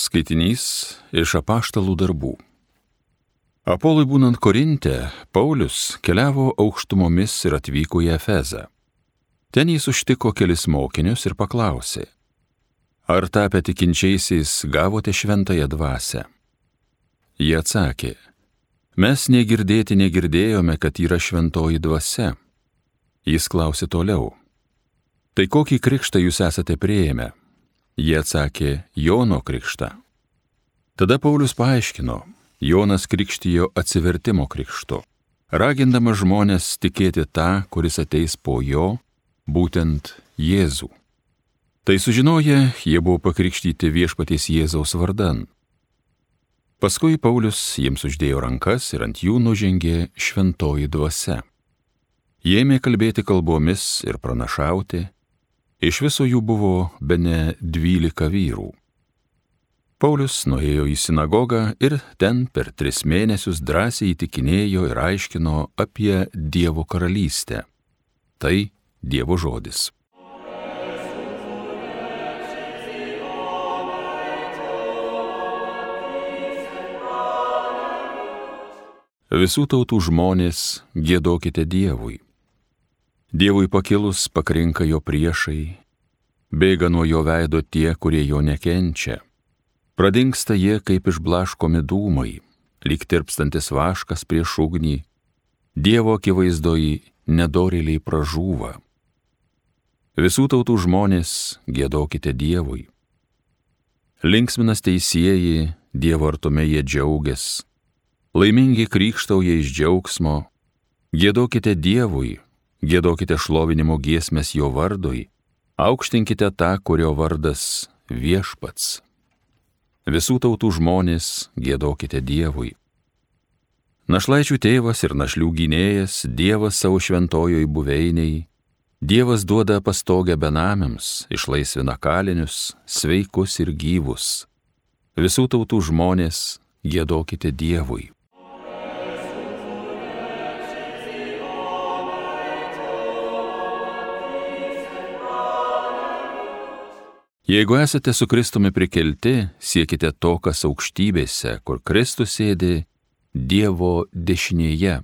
Skaitinys iš Apaštalų darbų. Apolui būnant Korinte, Paulius keliavo aukštumomis ir atvyko į Efezą. Ten jis užtiko kelis mokinius ir paklausė: ar tapę tikinčiaisiais gavote šventąją dvasią? Jie atsakė: mes negirdėti negirdėjome, kad yra šventoji dvasia. Jis klausė toliau: tai kokį krikštą jūs esate priėmę? Jie atsakė: Jono krikštą. Tada Paulius paaiškino: Jonas krikštijo atsivertimo krikštu, ragindamas žmones tikėti tą, kuris ateis po jo, būtent Jėzų. Tai sužinoję, jie buvo pakrikštyti viešpaties Jėzaus vardan. Paskui Paulius jiems uždėjo rankas ir ant jų nužengė šventoji dvasia. Jie ėmė kalbėti kalbomis ir pranašauti. Iš viso jų buvo bene 12 vyrų. Paulius nuėjo į sinagogą ir ten per 3 mėnesius drąsiai įtikinėjo ir aiškino apie Dievo karalystę. Tai Dievo žodis. Visų tautų žmonės, giedokite Dievui. Dievui pakilus pakrinka jo priešai, bėga nuo jo veido tie, kurie jo nekenčia. Pradingsta jie kaip išblaškomi dūmai, lyg tirpstantis vaškas prieš ugnį. Dievo akivaizdoj nedorėliai pražūva. Visų tautų žmonės, giedokite Dievui. Linksminas teisieji, Dievo artume jie džiaugias. Laimingi krykštauja iš džiaugsmo. Giedokite Dievui. Giedokite šlovinimo giesmes jo vardui, aukštinkite tą, kurio vardas Viešpats. Visų tautų žmonės, giedokite Dievui. Našlaičių tėvas ir našlių gynėjas, Dievas savo šventojoj buveiniai, Dievas duoda pastogę benamiams, išlaisvina kalinius, sveikus ir gyvus. Visų tautų žmonės, giedokite Dievui. Jeigu esate su Kristumi prikelti, siekite to, kas aukštybėse, kur Kristus sėdi Dievo dešinėje.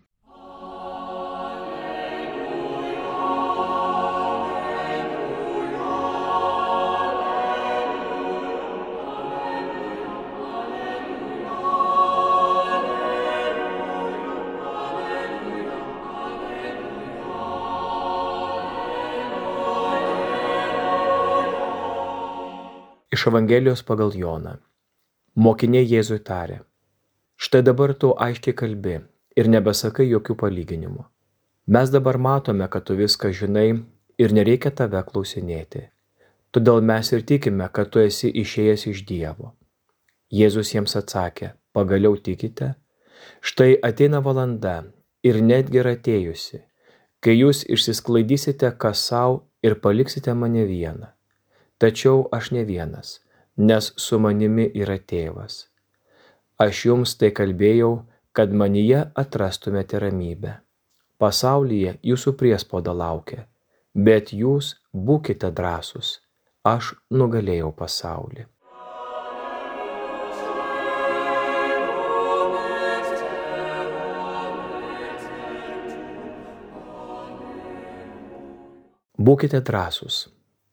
Iš Evangelijos pagal Joną. Mokiniai Jėzui tarė: štai dabar tu aiškiai kalbi ir nebesakai jokių palyginimų. Mes dabar matome, kad tu viską žinai ir nereikia tave klausinėti. Todėl mes ir tikime, kad tu esi išėjęs iš Dievo. Jėzus jiems atsakė: pagaliau tikite? Štai ateina valanda ir netgi yra atėjusi, kai jūs išsisklaidysite kas sau ir paliksite mane vieną. Tačiau aš ne vienas, nes su manimi yra Tėvas. Aš jums tai kalbėjau, kad manyje atrastumėte ramybę. Pasaulyje jūsų priespauda laukia, bet jūs būkite drąsūs. Aš nugalėjau pasaulį. Būkite drąsūs.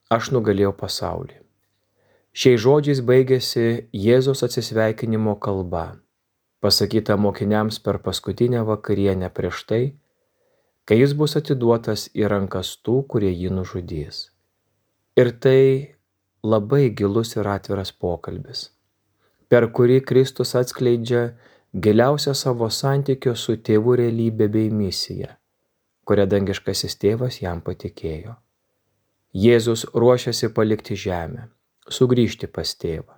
Aš nugalėjau pasaulį. Šiais žodžiais baigėsi Jėzaus atsisveikinimo kalba, pasakyta mokiniams per paskutinę vakarienę prieš tai, kai jis bus atiduotas į rankas tų, kurie jį nužudys. Ir tai labai gilus ir atviras pokalbis, per kurį Kristus atskleidžia giliausią savo santykio su Tėvu realybę bei misiją, kurią dangiškasis Tėvas jam patikėjo. Jėzus ruošiasi palikti žemę, sugrįžti pas Tėvą.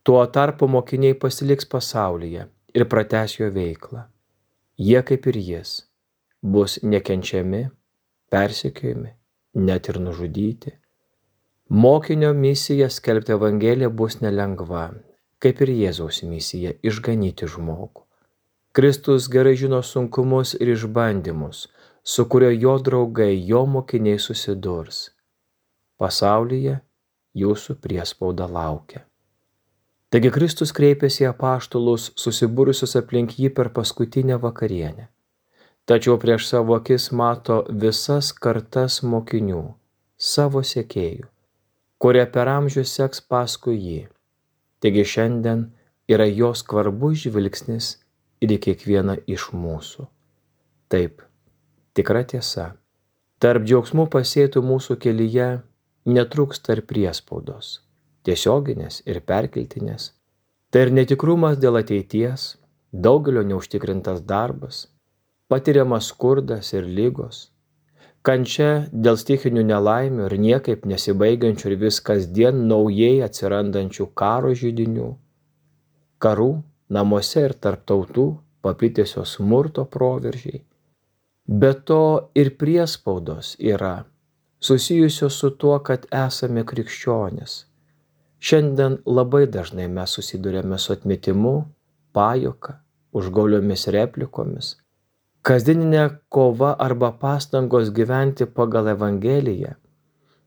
Tuo tarpu mokiniai pasiliks pasaulyje ir pratęs jo veiklą. Jie, kaip ir jis, bus nekenčiami, persekiojami, net ir nužudyti. Mokinio misija skelbti Evangeliją bus nelengva, kaip ir Jėzaus misija išganyti žmogų. Kristus gerai žino sunkumus ir išbandymus, su kurio jo draugai, jo mokiniai susidurs. Pasaulyje jūsų priespauda laukia. Taigi Kristus kreipėsi į apaštalus susibūrusius aplink jį per paskutinę vakarienę. Tačiau prieš savo akis mato visas kartas mokinių, savo sekėjų, kurie per amžius seks paskui jį. Taigi šiandien yra jo skvarbus žvilgsnis ir į kiekvieną iš mūsų. Taip, tikra tiesa. Tarp džiaugsmų pasėtų mūsų kelyje netrūksta ir priespaudos, tiesioginės ir perkeltinės. Tai ir netikrumas dėl ateities, daugelio neužtikrintas darbas, patiriamas skurdas ir ligos, kančia dėl stichinių nelaimių ir niekaip nesibaigiančių ir vis kasdien naujai atsirandančių karo židinių, karų namuose ir tarp tautų paplitėsio smurto proveržiai. Be to ir priespaudos yra susijusios su tuo, kad esame krikščionys. Šiandien labai dažnai mes susidurėme su atmetimu, pajuoka, užgauliomis replikomis. Kasdieninė kova arba pastangos gyventi pagal Evangeliją,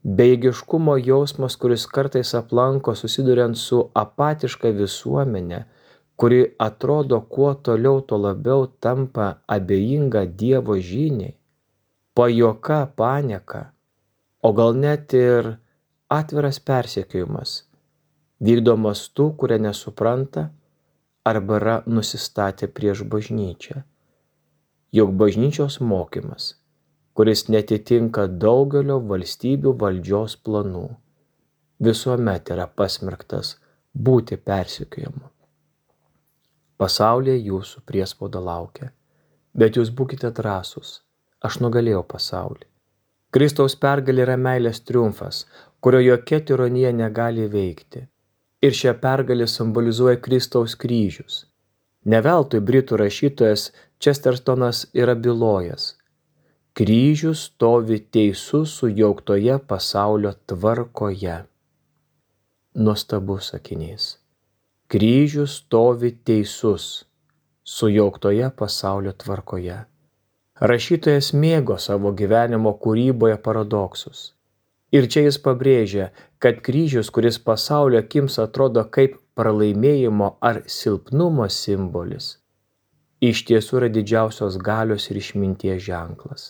bejėgiškumo jausmas, kuris kartais aplanko susiduriant su apatiška visuomenė, kuri atrodo kuo toliau, tuo labiau tampa abejinga Dievo žiniai, pajuoka, panieka, o gal net ir atviras persekiojimas, vykdomas tų, kurie nesupranta arba yra nusistatę prieš bažnyčią. Juk bažnyčios mokymas, kuris netitinka daugelio valstybių valdžios planų, visuomet yra pasmerktas būti persekiojamu. Pasaulyje jūsų priespauda laukia, bet jūs būkite drąsūs, aš nugalėjau pasaulį. Kristaus pergalė yra meilės triumfas, kurio jokia tironija negali veikti. Ir šią pergalę simbolizuoja Kristaus kryžius. Ne veltui britų rašytojas Chestertonas yra bylojęs: kryžius stovi teisus sujauktoje pasaulio tvarkoje. Nuostabus sakinys. Kryžius stovi teisus sujauktoje pasaulio tvarkoje. Rašytojas mėgo savo gyvenimo kūryboje paradoksus. Ir čia jis pabrėžia, kad kryžius, kuris pasaulio akims atrodo kaip pralaimėjimo ar silpnumo simbolis, iš tiesų yra didžiausios galios ir išminties ženklas.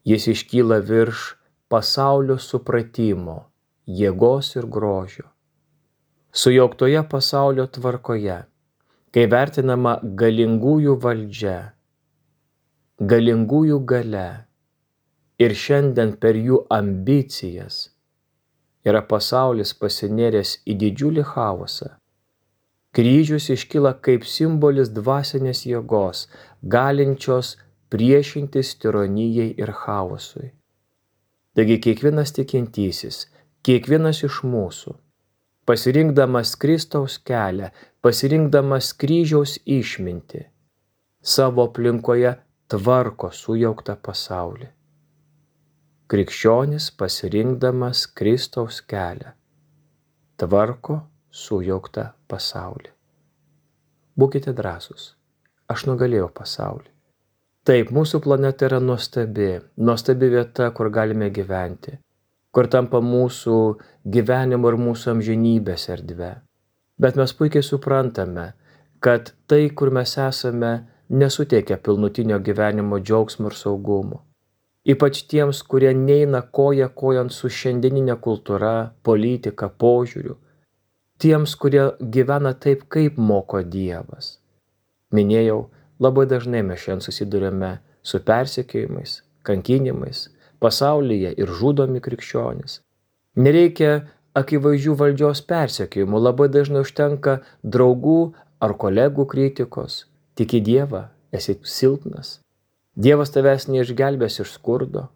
Jis iškyla virš pasaulio supratimo, jėgos ir grožio. Sujauktoje pasaulio tvarkoje, kai vertinama galingųjų valdžia, galingųjų galia ir šiandien per jų ambicijas yra pasaulis pasinėręs į didžiulį chaosą. Kryžius iškyla kaip simbolis dvasinės jėgos, galinčios priešintis tironijai ir chaosui. Taigi kiekvienas tikintysis, kiekvienas iš mūsų, pasirinkdamas Kristaus kelią, pasirinkdamas kryžiaus išmintį, savo aplinkoje tvarko sujauktą pasaulį. Krikščionis pasirinkdamas Kristaus kelią, tvarko sujauktą pasaulį. Būkite drąsūs, aš nugalėjau pasaulį. Taip, mūsų planeta yra nuostabi vieta, kur galime gyventi, kur tampa mūsų gyvenimo ir mūsų amžinybės erdve. Bet mes puikiai suprantame, kad tai, kur mes esame, nesuteikia pilnutinio gyvenimo džiaugsmo ir saugumo. Ypač tiems, kurie neina koja kojon su šiandieninė kultūra, politika, požiūriu. Tiems, kurie gyvena taip, kaip moko Dievas. Minėjau, labai dažnai mes šiandien susidurime su persekiojimais, kankinimais, pasaulyje ir žudomi krikščionys. Nereikia akivaizdžių valdžios persekiojimų, labai dažnai užtenka draugų ar kolegų kritikos. Tiki Dievą, esi silpnas. Dievas tavęs neišgelbės iš skurdo.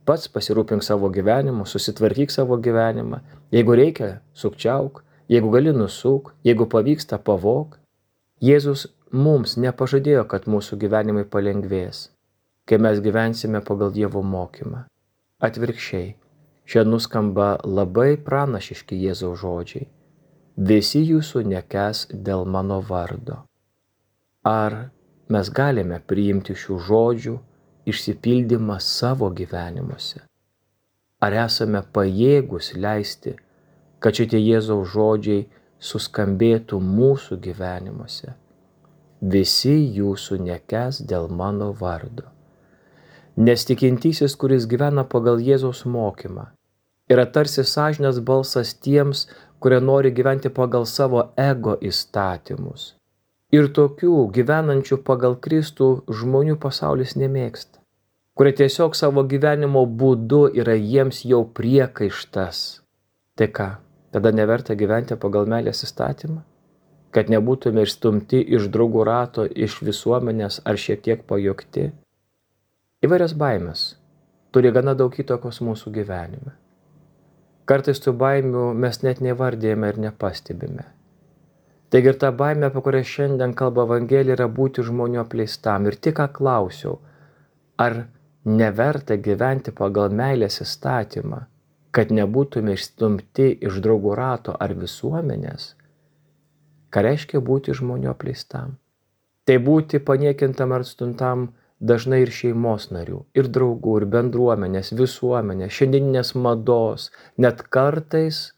Pats pasirūpink savo gyvenimu, susitvarkyk savo gyvenimą. Jeigu reikia, sukčiauk, jeigu gali nusuk, jeigu pavyksta pavok. Jėzus mums nepažadėjo, kad mūsų gyvenimai palengvės, kai mes gyvensime pagal Dievo mokymą. Atvirkščiai, čia nuskamba labai pranašiški Jėzaus žodžiai. Visi jūsų nekęs dėl mano vardo. Ar mes galime priimti šių žodžių išsipildymą savo gyvenimuose? Ar esame pajėgus leisti, kad šitie Jėzaus žodžiai suskambėtų mūsų gyvenimuose. Visi jūsų nekęs dėl mano vardo. Nes tikintysis, kuris gyvena pagal Jėzaus mokymą, yra tarsi sąžinės balsas tiems, kurie nori gyventi pagal savo ego įstatymus. Ir tokių gyvenančių pagal Kristų žmonių pasaulis nemėgsta, kurie tiesiog savo gyvenimo būdu yra jiems jau priekaištas. Tai ką, tada neverta gyventi pagal meilės įstatymą? Kad nebūtume išstumti iš draugų rato, iš visuomenės ar šiek tiek pajuokti? Įvairias baimės turi gana daug įtakos mūsų gyvenime. Kartais tų baimių mes net nevardėjame ir nepastebime. Taigi ir ta baimė, apie kurią šiandien kalba Evangelija, yra būti žmonių apleistam. Ir tik ką klausiau, ar neverta gyventi pagal meilės įstatymą, kad nebūtume išstumti iš draugų rato ar visuomenės? Ką reiškia būti žmonių apleistam? Tai būti paniekintam ar atstumtam dažnai ir šeimos narių, ir draugų, ir bendruomenės, visuomenės, šiandieninės mados, net kartais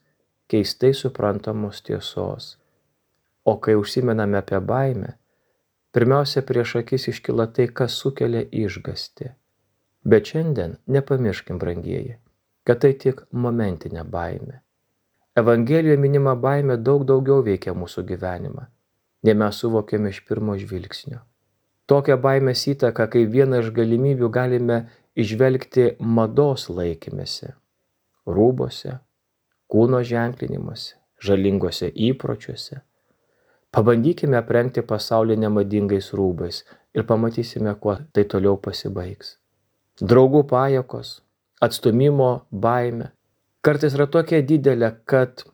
keistai suprantamos tiesos. O kai užsimename apie baimę, pirmiausia prieš akis iškyla tai, kas sukelia išgąstį. Bet šiandien nepamirškim, brangieji, kad tai tik momentinė baimė. Evangelijoje minima baimė daug daugiau veikia mūsų gyvenimą, nei mes suvokėme iš pirmo žvilgsnio. Tokią baimės įtaką, kaip vieną iš galimybių galime įžvelgti mados laikymėse, rūbose, kūno ženklinimuose, žalingose įpročiuose. Pabandykime aprengti pasaulį nemadingais rūbais ir pamatysime, kuo tai toliau pasibaigs. Draugų pajuokos, atstumimo baimė kartais yra tokia didelė, kad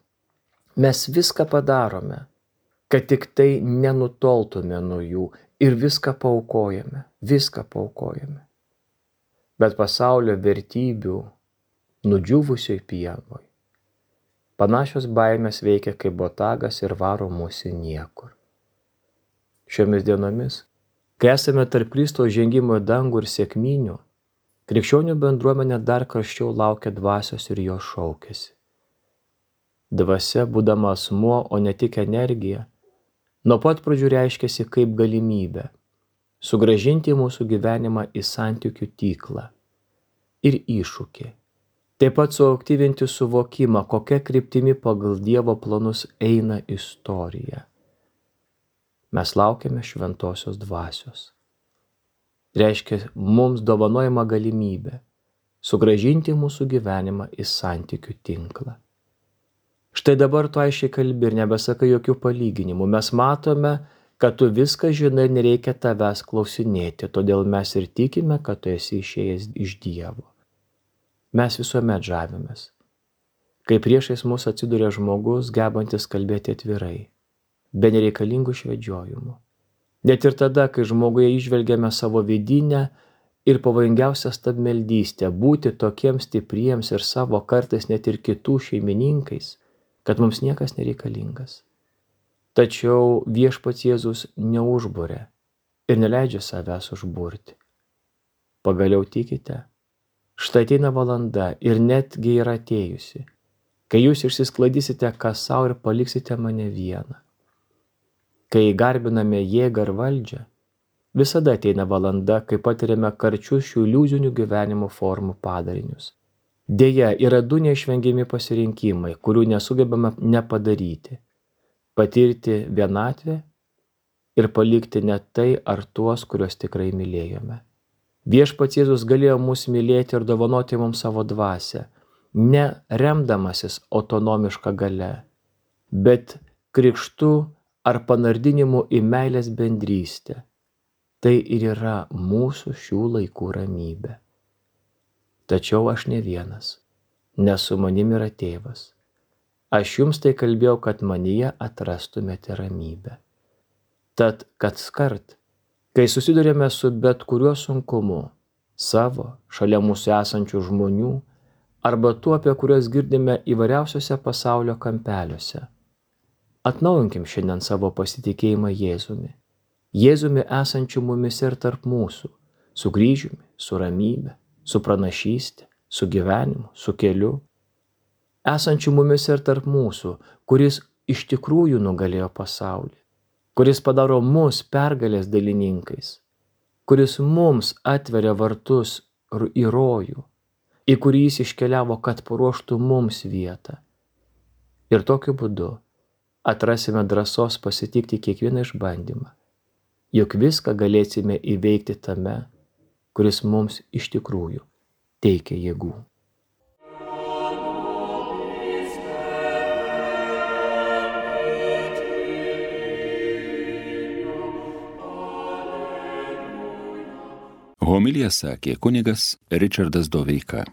mes viską padarome, kad tik tai nenutoltume nuo jų ir viską paaukojame. Bet pasaulio vertybių nudžiūvusioj pievoj panašios baimės veikia kaip botagas ir varo mūsų niekur. Šiomis dienomis, kai esame tarp Kristaus žengimo į dangų ir sekminių, krikščionių bendruomenė dar karščiau laukia dvasios ir jo šaukiasi. Dvasia, būdama asmuo, o ne tik energija, nuo pat pradžių reiškiasi kaip galimybė sugrąžinti mūsų gyvenimą į santykių tinklą ir iššūkį. Taip pat suaktyvinti suvokimą, kokia kryptimi pagal Dievo planus eina istorija. Mes laukiame šventosios dvasios. Reiškia mums dovanojama galimybė sugrąžinti mūsų gyvenimą į santykių tinklą. Štai dabar tu aiškiai kalbi ir nebesakai jokių palyginimų. Mes matome, kad tu viską žinai ir nereikia tavęs klausinėti, todėl mes ir tikime, kad tu esi išėjęs iš Dievo. Mes visuomet žavimės, kai priešais mus atsiduria žmogus, gebantis kalbėti atvirai, be nereikalingų švedžiojimų. Net ir tada, kai žmoguje įžvelgiame savo vidinę ir pavojingiausią stabmeldystę, būti tokiems stipriems ir savo kartais net ir kitų šeimininkais, kad mums niekas nereikalingas. Tačiau viešpats Jėzus neužburia ir neleidžia savęs užburti. Pagaliau tikite? Štai ateina valanda ir netgi yra atėjusi, kai jūs išsisklaidysite kas sau ir paliksite mane vieną. Kai garbiname jėgą ir valdžią, visada ateina valanda, kai patiriame karčius šių iliuzinių gyvenimo formų padarinius. Deja, yra du neišvengiami pasirinkimai, kurių nesugebame nepadaryti. Patirti vienatvę ir palikti net tai ar tuos, kuriuos tikrai mylėjome. Viešpats Jėzus galėjo mus mylėti ir dovanoti mums savo dvasią, ne remdamasis autonomišką gale, bet krikštu ar panardinimu į meilės bendrystę. Tai ir yra mūsų šių laikų ramybė. Tačiau aš ne vienas, nes su manimi yra Tėvas. Aš jums tai kalbėjau, kad manyje atrastumėte ramybę. Tad kaskart, kai susidurėme su bet kuriuo sunkumu, savo, šalia mūsų esančių žmonių, arba tuo, apie kuriuos girdime įvairiausiose pasaulio kampeliuose, atnaujinkim šiandien savo pasitikėjimą Jėzumi. Jėzumi esančiu mumis ir tarp mūsų, su kryžiumi, su ramybe, su pranašyste, su gyvenimu, su keliu. Esančiu mumis ir tarp mūsų, kuris iš tikrųjų nugalėjo pasaulį, kuris padaro mus pergalės dalininkais, kuris mums atveria vartus į rojų, į kurį jis iškeliavo, kad paruoštų mums vietą. Ir tokiu būdu atrasime drąsos pasitikti kiekvieną išbandymą, juk viską galėsime įveikti tame, kuris mums iš tikrųjų teikia jėgų. Homiliją sakė kunigas Ričardas Doveika.